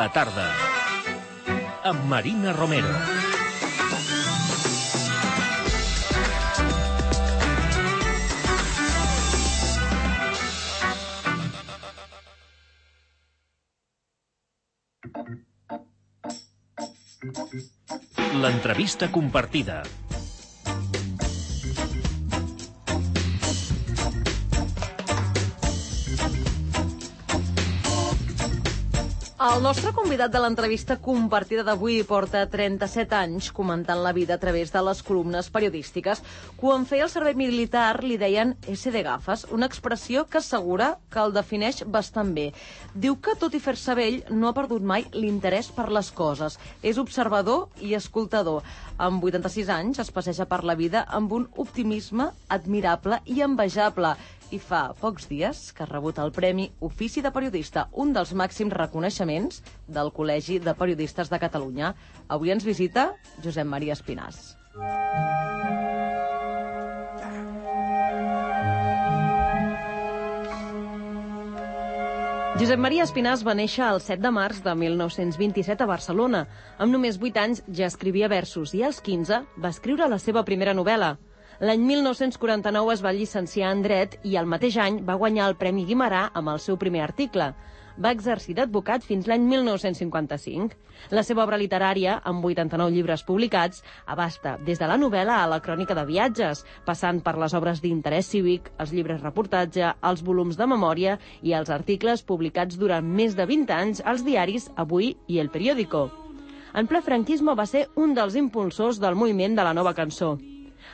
la tarda, amb Marina Romero. L'entrevista compartida. El nostre convidat de l'entrevista compartida d'avui porta 37 anys comentant la vida a través de les columnes periodístiques. Quan feia el servei militar li deien S de gafes, una expressió que assegura que el defineix bastant bé. Diu que, tot i fer-se vell, no ha perdut mai l'interès per les coses. És observador i escoltador. Amb 86 anys es passeja per la vida amb un optimisme admirable i envejable. I fa pocs dies que ha rebut el Premi Ofici de Periodista, un dels màxims reconeixements del Col·legi de Periodistes de Catalunya. Avui ens visita Josep Maria Espinàs. Josep Maria Espinàs va néixer el 7 de març de 1927 a Barcelona. Amb només 8 anys ja escrivia versos i als 15 va escriure la seva primera novel·la. L'any 1949 es va llicenciar en Dret i el mateix any va guanyar el Premi Guimerà amb el seu primer article. Va exercir d'advocat fins l'any 1955. La seva obra literària, amb 89 llibres publicats, abasta des de la novel·la a la crònica de viatges, passant per les obres d'interès cívic, els llibres reportatge, els volums de memòria i els articles publicats durant més de 20 anys als diaris Avui i El Periódico. En ple franquisme va ser un dels impulsors del moviment de la nova cançó.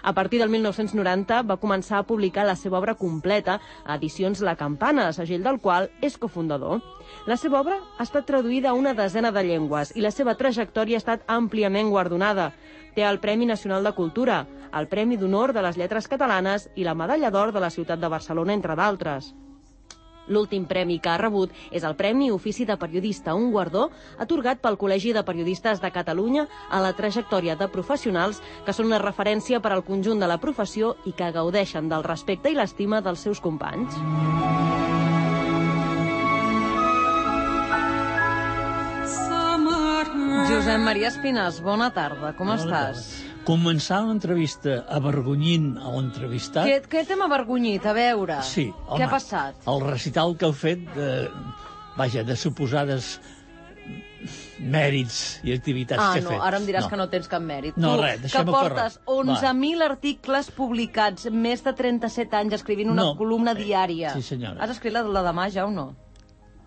A partir del 1990 va començar a publicar la seva obra completa a Edicions La Campana, segell del qual és cofundador. La seva obra ha estat traduïda a una desena de llengües i la seva trajectòria ha estat àmpliament guardonada. Té el Premi Nacional de Cultura, el Premi d'Honor de les Lletres Catalanes i la Medalla d'Or de la Ciutat de Barcelona, entre d'altres. L'últim premi que ha rebut és el Premi Ofici de Periodista, un guardó atorgat pel Col·legi de Periodistes de Catalunya a la trajectòria de professionals que són una referència per al conjunt de la professió i que gaudeixen del respecte i l'estima dels seus companys. Josep Maria Espinàs, bona tarda, com estàs? Començar l'entrevista avergonyint a l'entrevistat... Què t'hem avergonyit? A veure, sí, home, què ha passat? El recital que heu fet de suposades mèrits i activitats que he fet. Ara em diràs que no tens cap mèrit. No, tu, res, deixem-ho córrer. Que portes 11.000 articles publicats, més de 37 anys escrivint una columna diària. Sí, senyora. Has escrit la demà ja o no?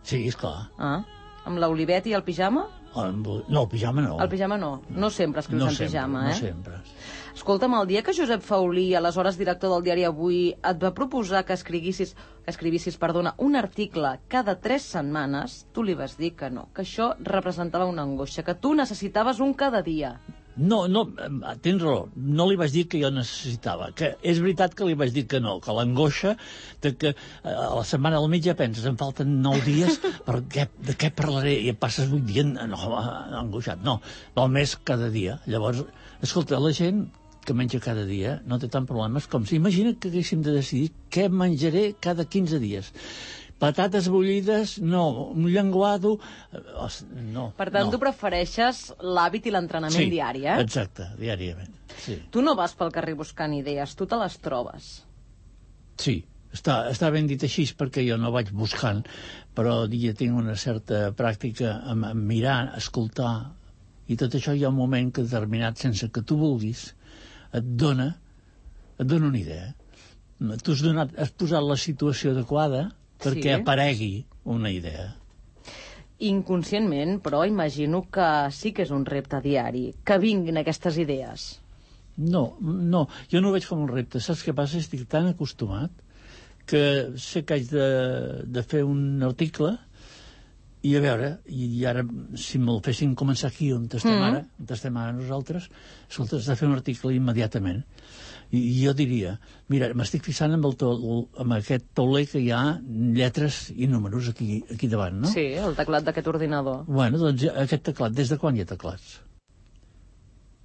Sí, esclar. Amb l'Olivet i el pijama? No, el pijama no. El pijama no. No sempre escrius en pijama, No sempre. Escolta'm, el dia que Josep Faulí, aleshores director del diari Avui, et va proposar que escrivissis un article cada 3 setmanes, tu li vas dir que no, que això representava una angoixa, que tu necessitaves un cada dia. No, tens raó, no li vaig dir que jo necessitava, que és veritat que li vaig dir que no, que l'angoixa de que a la setmana del mig ja penses, em falten 9 dies, de què parlaré? I et passes 8 dies angoixat. No, val més cada dia. Llavors, escolta, la gent que menja cada dia no té tant problemes com si imagina que haguéssim de decidir què menjaré cada 15 dies. Patates bullides, no. Un llenguado, no. Per tant, tu prefereixes l'hàbit i l'entrenament diari, eh? Exacte, diàriament. Sí. Tu no vas pel carrer buscant idees, tu te les trobes. Sí, està ben dit així perquè jo no vaig buscant, però ja tinc una certa pràctica en mirar, escoltar, i tot això hi ha un moment que determinat, sense que tu vulguis, et dona una idea. Tu has posat la situació adequada perquè aparegui una idea. Inconscientment, però imagino que sí que és un repte diari, que vinguin aquestes idees. No, jo no ho veig com un repte. Saps què passa? Estic tan acostumat que sé que haig de fer un article i a veure, i ara si me'l fessin començar aquí on estem ara nosaltres, escolta, has de fer un article immediatament. I jo diria, mira, m'estic fixant amb aquest tauler que hi ha lletres i números aquí davant, no? Sí, el teclat d'aquest ordinador. Bueno, doncs aquest teclat, des de quan hi ha teclats?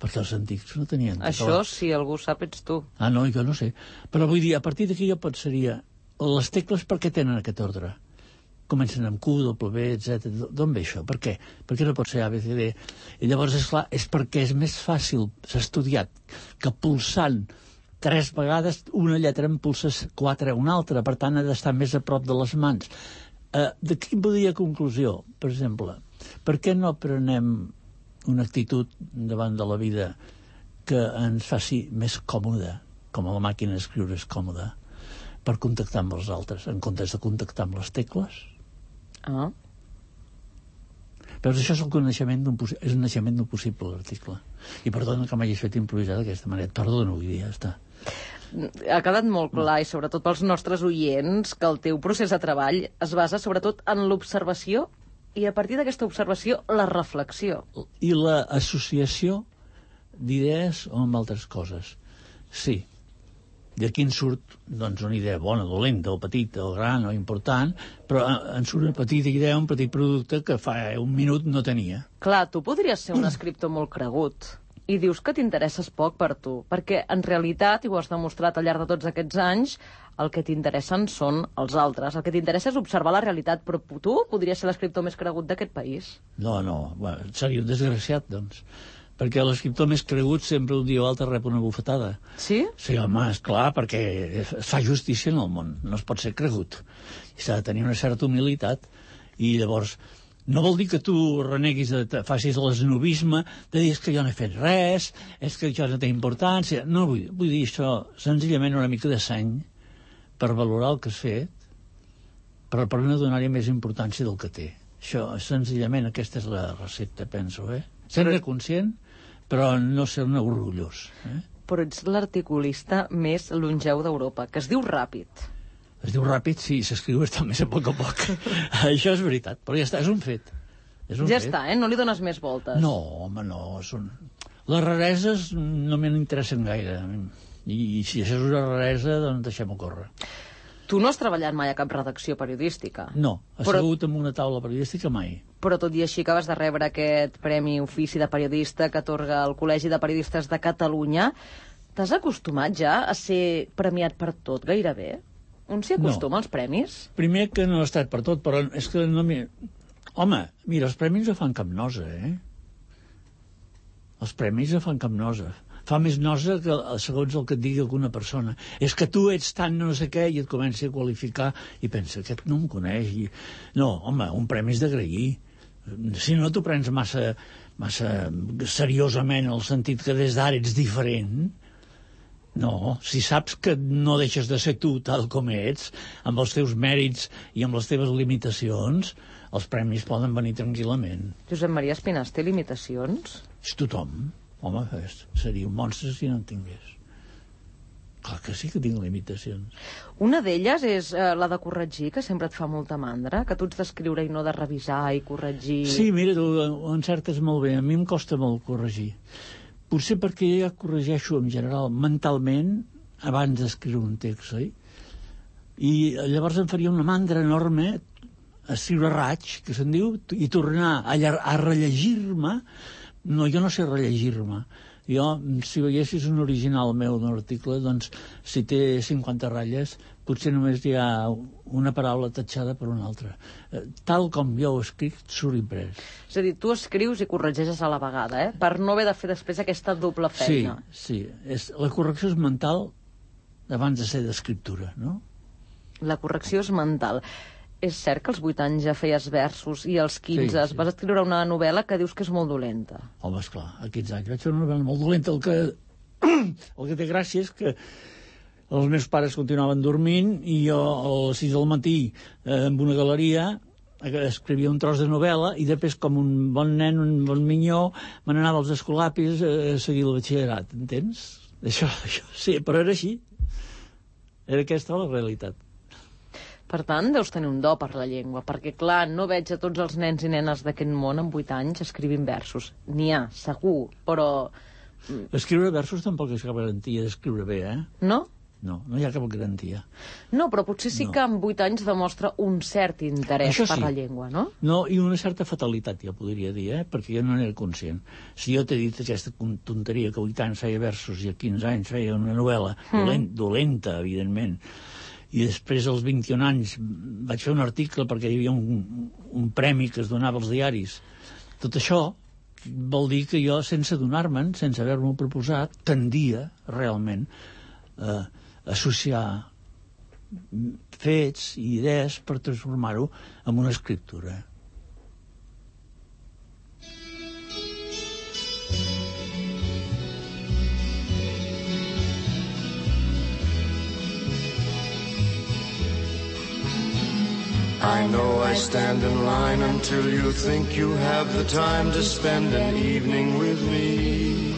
Perquè els antics no tenien teclats. Això, si algú sap, ets tu. No, jo no sé. Però vull dir, a partir d'aquí jo pensaria, les tecles per què tenen aquest ordre? comencen amb Q, W, etc. D'on ve això? Per què? Per què no pot ser A, B, C, D? I llavors, esclar, és perquè és més fàcil, s'ha estudiat, que pulsant 3 vegades una lletra en pulses 4 a una altra, per tant ha d'estar més a prop de les mans. D'aquí podria conclusió, per exemple, per què no prenem una actitud davant de la vida que ens faci més còmode, com a la màquina d'escriure és còmoda, per contactar amb els altres, en comptes de contactar amb les tecles? Ah. Però això és el coneixement és un naixement d'un possible article. I perdona que m'hagis fet improvisar d'aquesta manera. Perdona, vull dir, ja està. Ha quedat molt clar, i sobretot pels nostres oients, que el teu procés de treball es basa sobretot en l'observació i a partir d'aquesta observació la reflexió. I l'associació d'idees o amb altres coses. Sí. D'aquí en surt doncs, una idea bona, dolenta, o petita, o gran, o important, però en surt una petita idea, un petit producte que fa un minut no tenia. Clar, tu podries ser un escriptor molt cregut i dius que t'interesses poc per tu, perquè en realitat, i ho has demostrat al llarg de tots aquests anys, el que t'interessen són els altres. El que t'interessa és observar la realitat, però tu podries ser l'escriptor més cregut d'aquest país. No, bueno, seria un desgraciat, doncs. Perquè l'escriptor més cregut sempre un dia o altre rep una bufetada. Sí? Sí, home, esclar, perquè fa justícia en el món, no es pot ser cregut. I s'ha de tenir una certa humilitat. I llavors, no vol dir que tu reneguis, facis l'esnobisme, de dir que jo no he fet res, és que això no té importància. No, vull dir això, senzillament una mica de seny per valorar el que has fet, però per no donar-hi més importància del que té. Això, senzillament, aquesta és la recepta, penso, Ser-ne conscient, però no ser-ne orgullós. Però ets l'articulista més longeu d'Europa, que es diu Ràpid. Es diu Ràpid, sí, s'escriu més a poc a poc. Això és veritat, però ja està, és un fet. Ja està, no li dones més voltes. No, home, no. Les rareses no m'interessen gaire. I si això és una raresa, doncs deixem-ho córrer. Tu no has treballat mai a cap redacció periodística. No, assegut en una taula periodística mai. Però tot i així acabes de rebre aquest Premi Ofici de Periodista que atorga el Col·legi de Periodistes de Catalunya. T'has acostumat ja a ser premiat per tot, gairebé? On s'hi acostuma als premis? Primer que no he estat per tot, però és que no m'hi... Home, mira, els premis no fan cap nosa, Els premis no fan cap nosa. Fa més nosa que segons el que et digui alguna persona. És que tu ets tan no sé què i et comença a qualificar i pensa, aquest no em coneix. No, home, un premi és d'agrair. Si no t'ho prens massa seriosament, en el sentit que des d'ara ets diferent, no, si saps que no deixes de ser tu tal com ets, amb els teus mèrits i amb les teves limitacions, els premis poden venir tranquil·lament. Josep Maria Espinàs té limitacions? És tothom. Home, seria un monstre si no en tingués. Clar que sí que tinc limitacions. Una d'elles és la de corregir, que sempre et fa molta mandra, que tu ets d'escriure i no de revisar i corregir. Sí, mira, tu ho encertes molt bé. A mi em costa molt corregir. Potser perquè jo ja corregeixo en general mentalment abans d'escriure un text, oi? I llavors em faria una mandra enorme escriure raig, que se'n diu, i tornar a rellegir-me. No, jo no sé rellegir-me. Jo, si veiessis un original meu d'un article, doncs, si té 50 ratlles, potser només hi ha una paraula tatxada per una altra. Tal com jo ho escric, surt imprès. És a dir, tu escrius i corregeixes a la vegada, per no haver de fer després aquesta doble feina. Sí. La correcció és mental abans de ser d'escriptura, no? La correcció és mental. És cert que als 8 anys ja feies versos i als 15 vas escriure una novel·la que dius que és molt dolenta. Home, esclar, a 15 anys vaig fer una novel·la molt dolenta. El que té gràcia és que els meus pares continuaven dormint i jo a les 6 del matí en una galeria escrivia un tros de novel·la i després, com un bon nen, un bon minyó, me n'anava als escolapis a seguir el batxillerat, entens? Això sí, però era així. Era aquesta la realitat. Per tant, deus tenir un do per la llengua, perquè, clar, no veig a tots els nens i nenes d'aquest món amb 8 anys escrivint versos. N'hi ha, segur, però... Escriure versos tampoc és cap garantia d'escriure bé, No? No hi ha cap garantia. No, però potser sí que amb 8 anys demostra un cert interès per la llengua, no? No, i una certa fatalitat, ja podria dir, perquè jo no n'era conscient. Si jo t'he dit aquesta tonteria que a 8 anys feia versos i a 15 anys feia una novel·la dolenta, evidentment, i després als 21 anys vaig fer un article perquè hi havia un premi que es donava als diaris. Tot això vol dir que jo, sense adonar-me'n, sense haver-m'ho proposat, tendia realment a associar fets i idees per transformar-ho en una escriptura. I know I stand in line until you think you have the time to spend an evening with me.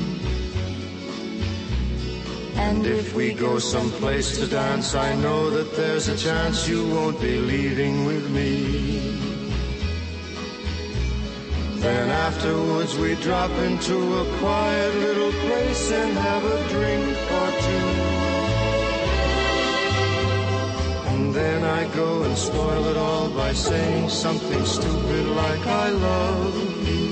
And if we go someplace to dance, I know that there's a chance you won't be leaving with me. Then afterwards we drop into a quiet little place and have a drink or two. And then I go and spoil it all by saying something stupid like I love you.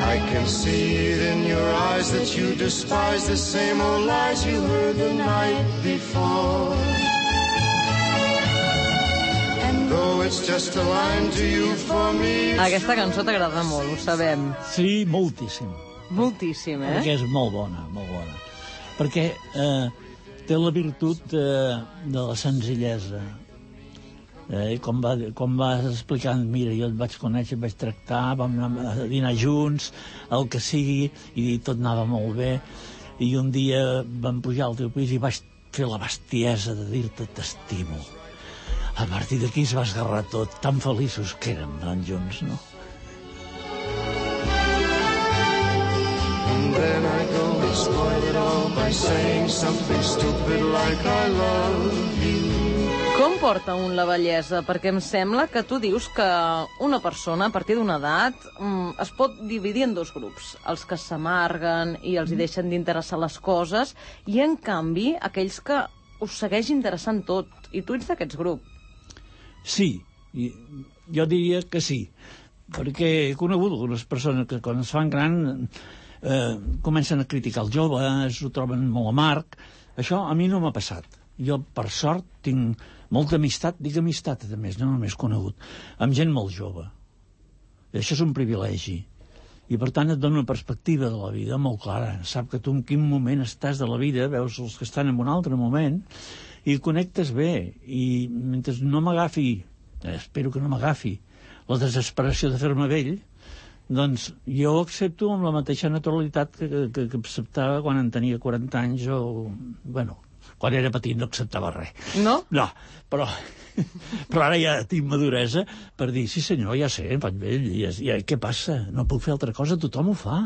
I can see it in your eyes that you despise the same old lies you heard the night before. And though it's just a line to you, for me Aquesta cançó t'agrada molt, ho sabem. Sí, moltíssim. Moltíssim, Perquè és molt bona, molt bona. Perquè té la virtut de la senzillesa. Com vas explicant, mira, jo et vaig conèixer, et vaig tractar, vam anar a dinar junts, el que sigui, i tot anava molt bé, i un dia vam pujar al teu pis i vaig fer la bestiesa de dir-te t'estimo. A partir d'aquí es va esgarrar tot, tan feliços que érem anant junts, no? And then I go and spoil it all by saying something stupid like I love you. Com porta un la bellesa? Perquè em sembla que tu dius que una persona, a partir d'una edat, es pot dividir en dos grups. Els que s'amarguen i els hi deixen d'interessar les coses, i, en canvi, aquells que us segueix interessant tot. I tu ets d'aquests grups. Sí, jo diria que sí. Perquè he conegut algunes persones que, quan es fan gran, comencen a criticar els joves, ho troben molt amarg. Això a mi no m'ha passat. Jo, per sort, tinc molta amistat, dic amistat, a més, no només conegut, amb gent molt jove. I això és un privilegi. I, per tant, et dona una perspectiva de la vida molt clara. Sap que tu en quin moment estàs de la vida, veus els que estan en un altre moment, i connectes bé. I mentre no m'agafi, espero que no m'agafi, la desesperació de fer-me vell, doncs jo ho accepto amb la mateixa naturalitat que acceptava quan en tenia 40 anys o... bueno, quan era petit no acceptava res. No? No, però ara ja tinc maduresa per dir, sí senyor, ja sé, em faig vell, i què passa? No puc fer altra cosa, tothom ho fa.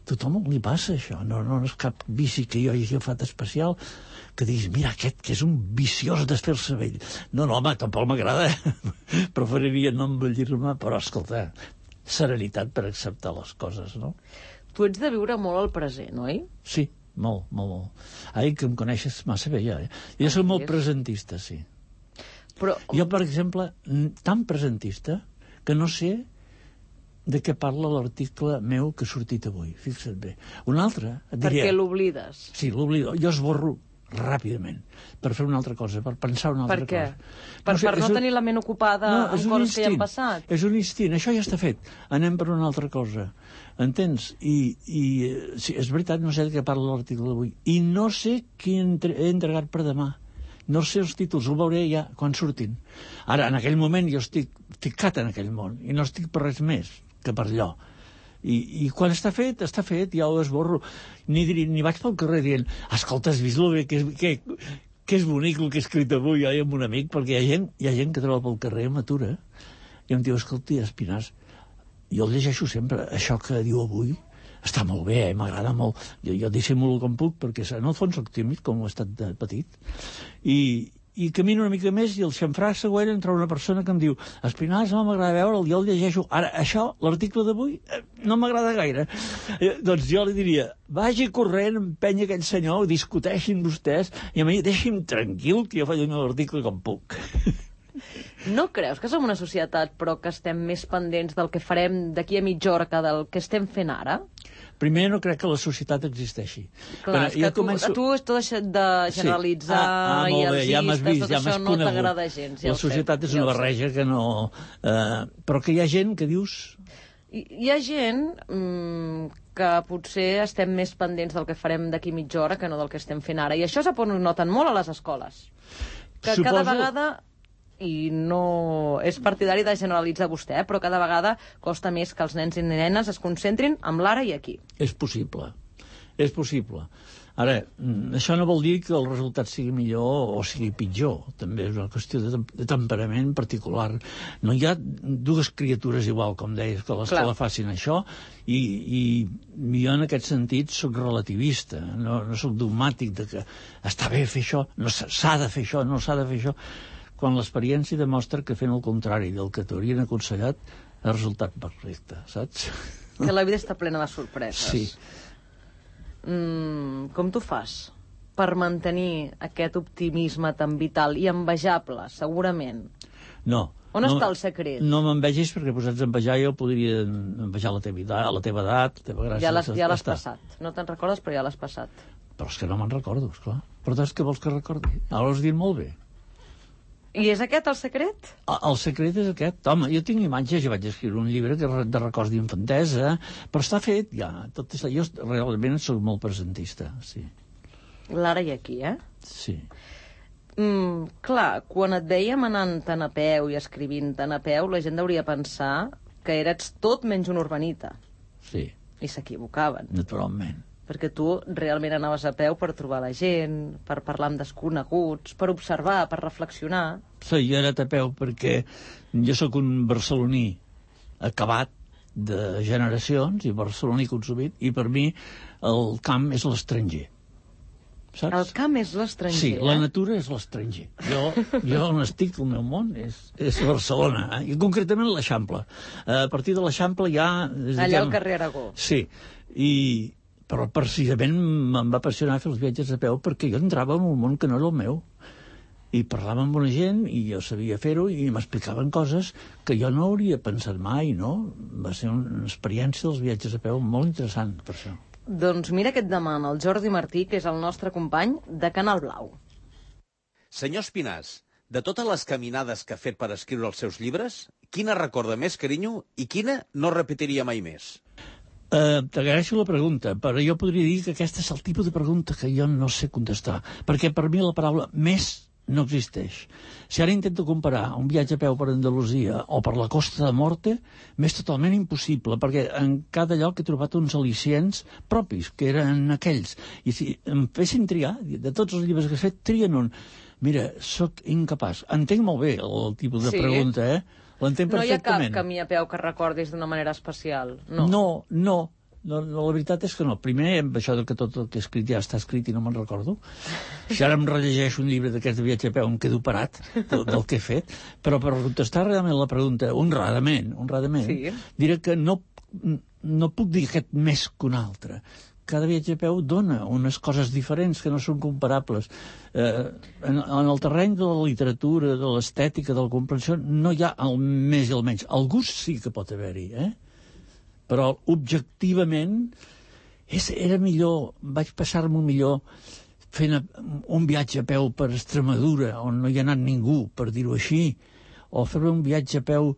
Tothom li passa això, no és cap vici que jo hagi agafat especial, que diguis, mira, aquest que és un viciós de fer-se vell. No, home, tampoc m'agrada, preferiria no envellir-me, però escolta, serenitat per acceptar les coses, no? Tu ets de viure molt al present, oi? Sí. Molt. Ai, que em coneixes massa bé, ja. Jo soc molt presentista, sí. Però... Jo, per exemple, tan presentista que no sé de què parla l'article meu que ha sortit avui. Fixa't bé. Un altre et diria... Perquè l'oblides. Sí, l'oblido. Jo esborro ràpidament per fer una altra cosa, per pensar una altra cosa. Per què? Per no tenir la ment ocupada amb coses que ja han passat? És un instint, això ja està fet. Anem per una altra cosa. Entens? I sí, és veritat, no sé de què parla l'article d'avui. I no sé qui he entregat per demà. No sé els títols, ho veuré ja quan surtin. Ara, en aquell moment, jo estic ficat en aquell món i no estic per res més que per allò. I quan està fet, ja ho esborro. Ni vaig pel carrer dient, escolta, has vist que és bonic el que he escrit avui jo amb un amic, perquè hi ha gent que troba pel carrer, m'atura, i em diu, escolta, Espinàs, jo el llegeixo sempre, això que diu avui està molt bé, m'agrada molt, jo dissimulo com puc, perquè en el fons soc tímid, com ho he estat de petit, i camino una mica més i el xamfrà següent entra una persona que em diu, Espinàs, no m'agrada veure'l, jo el llegeixo. Ara, això, l'article d'avui, no m'agrada gaire. Doncs jo li diria, vagi corrent, empenya aquell senyor, discuteixin vostès, i a mi deixi'm tranquil, que jo faig el meu article com puc. No creus que som una societat, però que estem més pendents del que farem d'aquí a mitja hora que del que estem fent ara? Primer, no crec que la societat existeixi. Clar, és que a tu has deixat de generalitzar i artistes, tot això no t'agrada gens. La societat és una barreja que no... Però que hi ha gent que dius... Hi ha gent que potser estem més pendents del que farem d'aquí mitja hora que no del que estem fent ara. I això ho noten molt a les escoles. Que cada vegada... i no és partidari de generalitzar vostè, però cada vegada costa més que els nens i nenes es concentrin en l'ara i aquí. És possible, és possible. Ara, això no vol dir que el resultat sigui millor o sigui pitjor. També és una qüestió de temperament particular. No hi ha dues criatures igual, com deies, que a l'escola facin això, i jo en aquest sentit soc relativista, no soc dogmàtic de que està bé fer això, no s'ha de fer això, no s'ha de fer això, quan l'experiència demostra que fent el contrari del que t'haurien aconsellat ha resultat perfecte, saps? Que la vida està plena de sorpreses. Sí. Com t'ho fas per mantenir aquest optimisme tan vital i envejable, segurament? No. On està el secret? No m'envegis, perquè posats a envejar jo podria envejar la teva edat, la teva gràcia. Ja l'has passat. No te'n recordes, però ja l'has passat. Però és que no me'n recordo, esclar. Però què vols que recordi? Ara ho has dit molt bé. I és aquest el secret? El secret és aquest. Home, jo tinc imatges, jo vaig escriure un llibre de records d'infantesa, però està fet ja. Jo realment soc molt presentista, sí. L'ara i aquí, Sí. Clar, quan et veiem anant-te'n a peu i escrivint-te'n a peu, la gent hauria pensar que eres tot menys un urbanita. Sí. I s'equivocaven. Naturalment. Perquè tu realment anaves a peu per trobar la gent, per parlar amb desconeguts, per observar, per reflexionar. Sí, jo he anat a peu perquè jo sóc un barceloní acabat de generacions i barceloní consumit, i per mi el camp és l'estranger. Saps? El camp és l'estranger, Sí, la natura és l'estranger. Jo on estic, el meu món, és Barcelona, i concretament l'Eixample. A partir de l'Eixample ja... Allà al carrer Aragó. Sí, però precisament em va apassionar fer els viatges a peu perquè jo entrava en un món que no era el meu. I parlava amb una gent i jo sabia fer-ho i m'explicaven coses que jo no hauria pensat mai, no? Va ser una experiència dels viatges a peu molt interessant, per això. Doncs mira què et demana el Jordi Martí, que és el nostre company de Canal Blau. Senyor Espinàs, de totes les caminades que ha fet per escriure els seus llibres, quina recorda més carinyo i quina no repetiria mai més? T'agraeixo la pregunta, però jo podria dir que aquesta és el tipus de pregunta que jo no sé contestar, perquè per mi la paraula més no existeix. Si ara intento comparar un viatge a peu per Andalusia o per la Costa de Morte, m'és totalment impossible, perquè en cada lloc he trobat uns al·licients propis, que eren aquells. I si em fessin triar, de tots els llibres que he fet, trien un. Mira, sóc incapaç. Entenc molt bé el tipus de pregunta, L'entenc perfectament. No hi ha cap camí a peu que recordis d'una manera especial? No, la veritat és que no. Primer, amb això que tot el que he escrit ja està escrit i no me'n recordo. Si ara em rellegeixo un llibre d'aquest de viatge a peu em quedo parat del que he fet. Però per contestar realment la pregunta, honradament, diré que no puc dir aquest més que un altre. Cada viatge a peu dona unes coses diferents que no són comparables. En el terreny de la literatura, de l'estètica, de la comprensió, no hi ha el més i el menys. El gust sí que pot haver-hi, però objectivament era millor, vaig passar-m'ho millor fent un viatge a peu per Extremadura, on no hi ha anat ningú, per dir-ho així, o fer un viatge a peu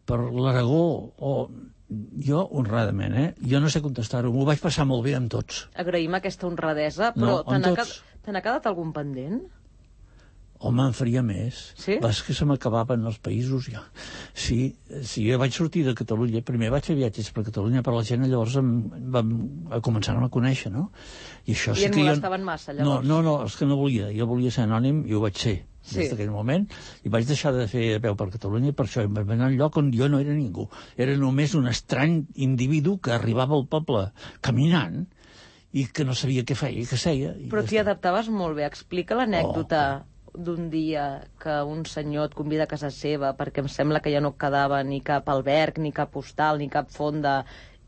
per l'Aragó, o... Jo, honradament, jo no sé contestar-ho. M'ho vaig passar molt bé amb tots. Agraïm aquesta honradesa, però te n'ha quedat algun pendent? Home, en faria més. Sí? És que se m'acabaven els països, ja. Sí, jo vaig sortir de Catalunya. Primer vaig fer viatges per Catalunya, però la gent llavors començaven a conèixer, no? I et molestaven massa, llavors? No, és que no volia. Jo volia ser anònim i ho vaig ser. Des d'aquell moment, i vaig deixar de fer a peu per Catalunya, i per això em vaig anar a un lloc on jo no era ningú. Era només un estrany individu que arribava al poble caminant i que no sabia què feia i què seia. Però t'hi adaptaves molt bé. Explica l'anècdota d'un dia que un senyor et convida a casa seva perquè em sembla que ja no quedava ni cap alberg, ni cap hostal, ni cap fonda,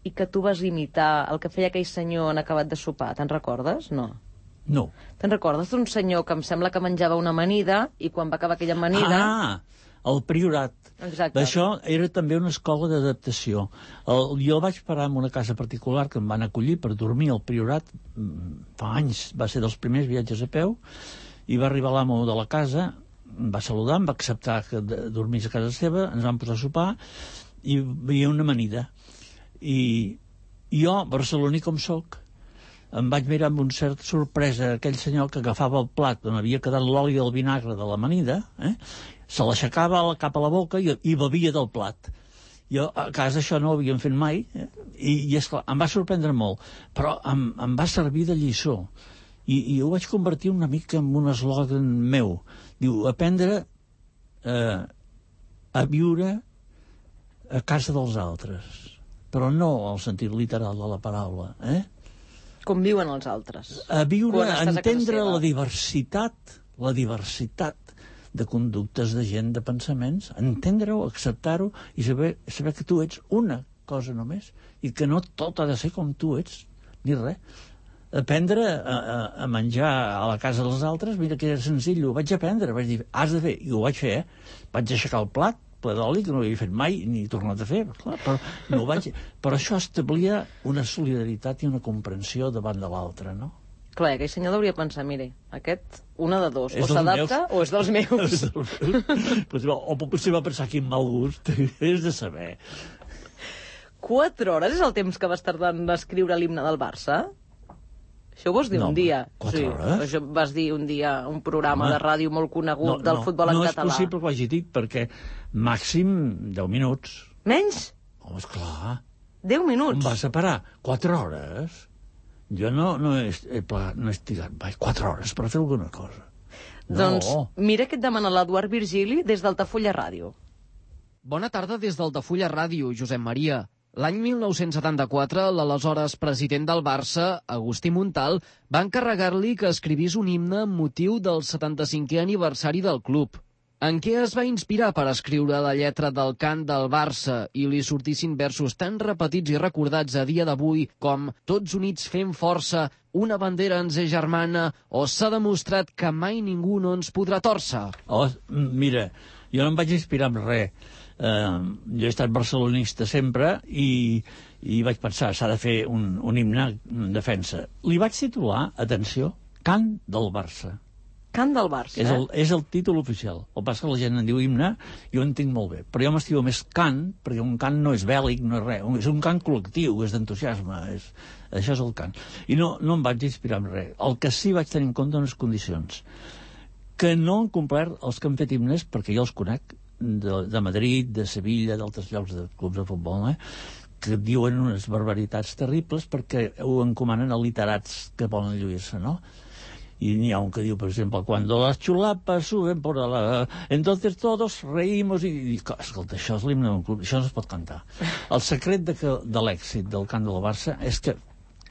i que tu vas imitar el que feia aquell senyor en acabat de sopar. Te'n recordes? No. No. Te'n recordes d'un senyor que em sembla que menjava una amanida i quan va acabar aquella amanida... el Priorat. Exacte. Això era també una escola d'adaptació. Jo vaig parar en una casa particular que em van acollir per dormir al Priorat fa anys, va ser dels primers viatges a peu, i va arribar l'amo de la casa, em va saludar, em va acceptar que dormís a casa seva, ens vam posar a sopar i hi havia una amanida. I jo, barceloní com soc, em vaig mirar amb una certa sorpresa aquell senyor que agafava el plat on havia quedat l'oli del vinagre de l'amanida, se l'aixecava cap a la boca i bevia del plat. Jo a casa això no ho havíem fet mai, i esclar, em va sorprendre molt, però em va servir de lliçó. I ho vaig convertir una mica en un eslògan meu. Diu, aprendre a viure a casa dels altres, però no al sentit literal de la paraula, Com viuen els altres. A viure, a entendre seva. la diversitat de conductes, de gent, de pensaments, entendre-ho, acceptar-ho i saber que tu ets una cosa només i que no tot ha de ser com tu ets, ni res. Aprendre a menjar a la casa dels altres, mira que era senzill, ho vaig aprendre, vaig dir, has de fer, i ho vaig fer, Vaig aixecar el plat, ple d'oli, que no ho havia fet mai, ni tornat a fer, clar, però això establia una solidaritat i una comprensió davant de l'altre, no? Clar, aquell senyor hauria pensar, mire, aquest, una de dos, o s'adapta o és dels meus. O potser va pensar quin mal gust, és de saber. 4 hores és el temps que vas tardar en escriure l'himne del Barça? Això ho vas dir un dia. 4 hores? Això vas dir un dia un programa de ràdio molt conegut del futbol en català. No és possible que ho hagi dit, perquè màxim 10 minuts. Menys? Home, esclar. 10 minuts? Em vas a parar 4 hores? Jo no he estirat mai 4 hores per fer alguna cosa. Doncs mira què et demana l'Eduard Virgili des d'Altafulla Ràdio. Bona tarda des d'Altafulla Ràdio, Josep Maria. L'any 1974, l'aleshores president del Barça, Agustí Montal, va encarregar-li que escrivís un himne amb motiu del 75è aniversari del club. En què es va inspirar per escriure la lletra del cant del Barça i li sortissin versos tan repetits i recordats a dia d'avui com «Tots units fem força, una bandera ens és germana» o «S'ha demostrat que mai ningú no ens podrà tòrcer»? Mira, jo no em vaig inspirar en res. Jo he estat barcelonista sempre i vaig pensar, s'ha de fer un himne en defensa. Li vaig titular, atenció, Cant del Barça. Cant del Barça, És el títol oficial. El que passa que la gent en diu himne, jo ho entenc molt bé. Però jo m'estimo més cant, perquè un cant no és bèl·lic, no és res. És un cant col·lectiu, és d'entusiasme. Això és el cant. I no em vaig inspirar en res. El que sí vaig tenir en compte unes condicions. Que no han complert els que han fet himnes, perquè jo els conec, de Madrid, de Sevilla, d'altres llocs de clubs de futbol, que diuen unes barbaritats terribles perquè ho encomanen a literats que volen lluir-se, no? Y n'hi ha un que diu, per exemple, cuando las chulapas suben por la... Entonces todos reímos i escolta, això és l'himne d'un club, això no es pot cantar. El secret de l'èxit del cant del Barça és que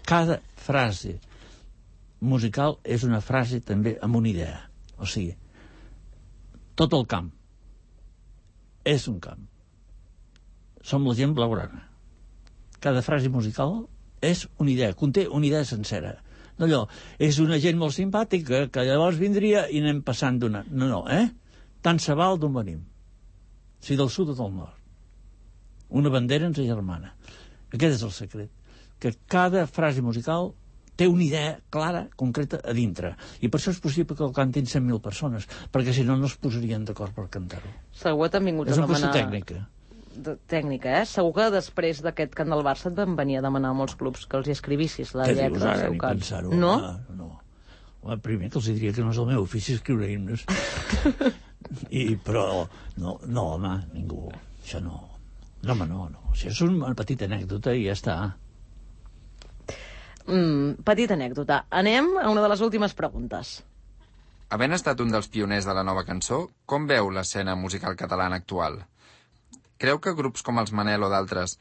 cada frase musical és una frase també amb una idea. O sigui, tot el camp és un camp. Som la gent blaugrana. Cada frase musical és una idea, conté una idea sencera. No allò, és una gent molt simpàtica que llavors vindria i anem passant d'una... No, tant se val d'on venim. Si del sud o del nord. Una bandera ens agermana. Aquest és el secret. Que cada frase musical té una idea clara, concreta, a dintre. I per això és possible que el cantin 100.000 persones, perquè si no, no es posarien d'acord per cantar-ho. Segur que t'han vingut a demanar... És una qüestió tècnica, Segur que després d'aquest cant del Barça et van venir a demanar a molts clubs que els hi escrivissis la lletra del seu cant. No? No. Primer que els diria que no és el meu ofici escriure himnes. Però no, home, ningú. Això no. No, home, no. Això és una petita anècdota i ja està. Petita anècdota. Anem a una de les últimes preguntes. Havent estat un dels pioners de la nova cançó, com veu l'escena musical catalana actual? Creu que grups com els Manel o d'altres,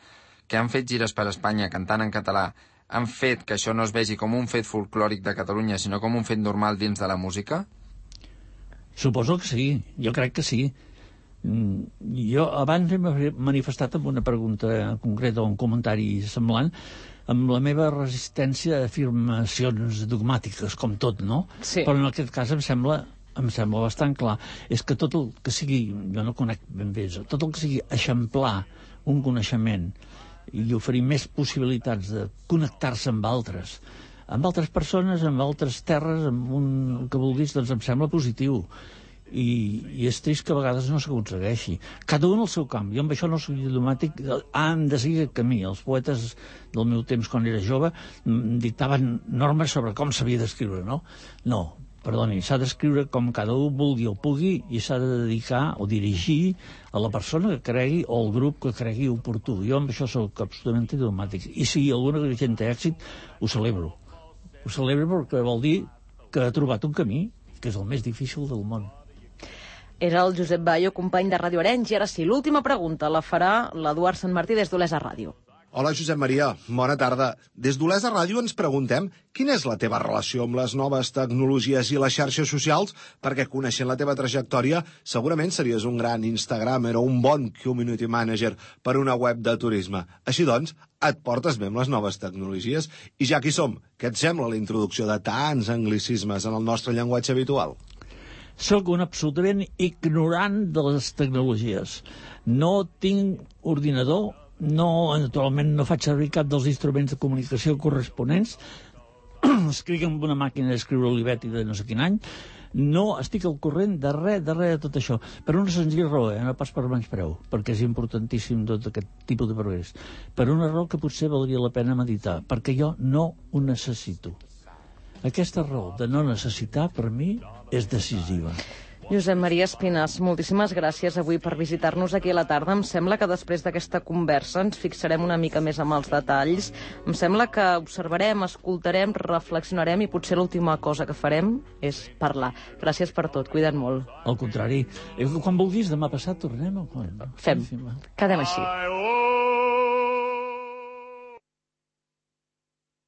que han fet gires per Espanya cantant en català, han fet que això no es vegi com un fet folclòric de Catalunya, sinó com un fet normal dins de la música? Suposo que sí, jo crec que sí. Jo abans he manifestat amb una pregunta concreta o un comentari semblant amb la meva resistència a afirmacions dogmàtiques, com tot, no? Sí. Però en aquest cas em sembla em sembla bastant clar, és que tot el que sigui, jo no conec ben bé, tot el que sigui eixamplar un coneixement i oferir més possibilitats de connectar-se amb altres persones, amb altres terres, amb un que vulguis, doncs em sembla positiu. I és trist que a vegades no s'aconsegueixi. Cada un al seu camp. Jo amb això no soc diplomàtic, han de seguir el camí. Els poetes del meu temps, quan era jove, dictaven normes sobre com s'havia d'escriure, no? No, perdoni, s'ha d'escriure com cada un vulgui o pugui i s'ha de dedicar o dirigir a la persona que cregui o al grup que cregui oportú. Jo amb això soc absolutament diplomàtic. I si alguna gent té èxit, ho celebro. Ho celebro perquè vol dir que ha trobat un camí, que és el més difícil del món. Era el Josep Bayo, company de Ràdio Arenys. I ara sí, l'última pregunta la farà l'Eduard Sant Martí des d'Olesa Ràdio. Hola, Josep Maria. Bona tarda. Des d'Olesa Ràdio ens preguntem quina és la teva relació amb les noves tecnologies i les xarxes socials, perquè coneixent la teva trajectòria segurament series un gran Instagramer o un bon community manager per una web de turisme. Així doncs, et portes bé amb les noves tecnologies? I ja que hi som, què et sembla la introducció de tants anglicismes en el nostre llenguatge habitual? Soc un absolutament ignorant de les tecnologies. No tinc ordinador, naturalment no faig servir cap dels instruments de comunicació corresponents, escric amb una màquina d'escriure Olivetti de no sé quin any, no estic al corrent de res de tot això, per una senzilla raó, no pas per menyspreu, perquè és importantíssim tot aquest tipus de progrés, per una raó que potser valdria la pena meditar, perquè jo no ho necessito. Aquesta raó de no necessitar, per mi, és decisiva. Josep Maria Espinàs, moltíssimes gràcies avui per visitar-nos aquí a la tarda. Em sembla que després d'aquesta conversa ens fixarem una mica més amb els detalls. Em sembla que observarem, escoltarem, reflexionarem i potser l'última cosa que farem és parlar. Gràcies per tot, cuida't molt. Al contrari, quan vulguis, demà passat tornem. Fem, quedem així.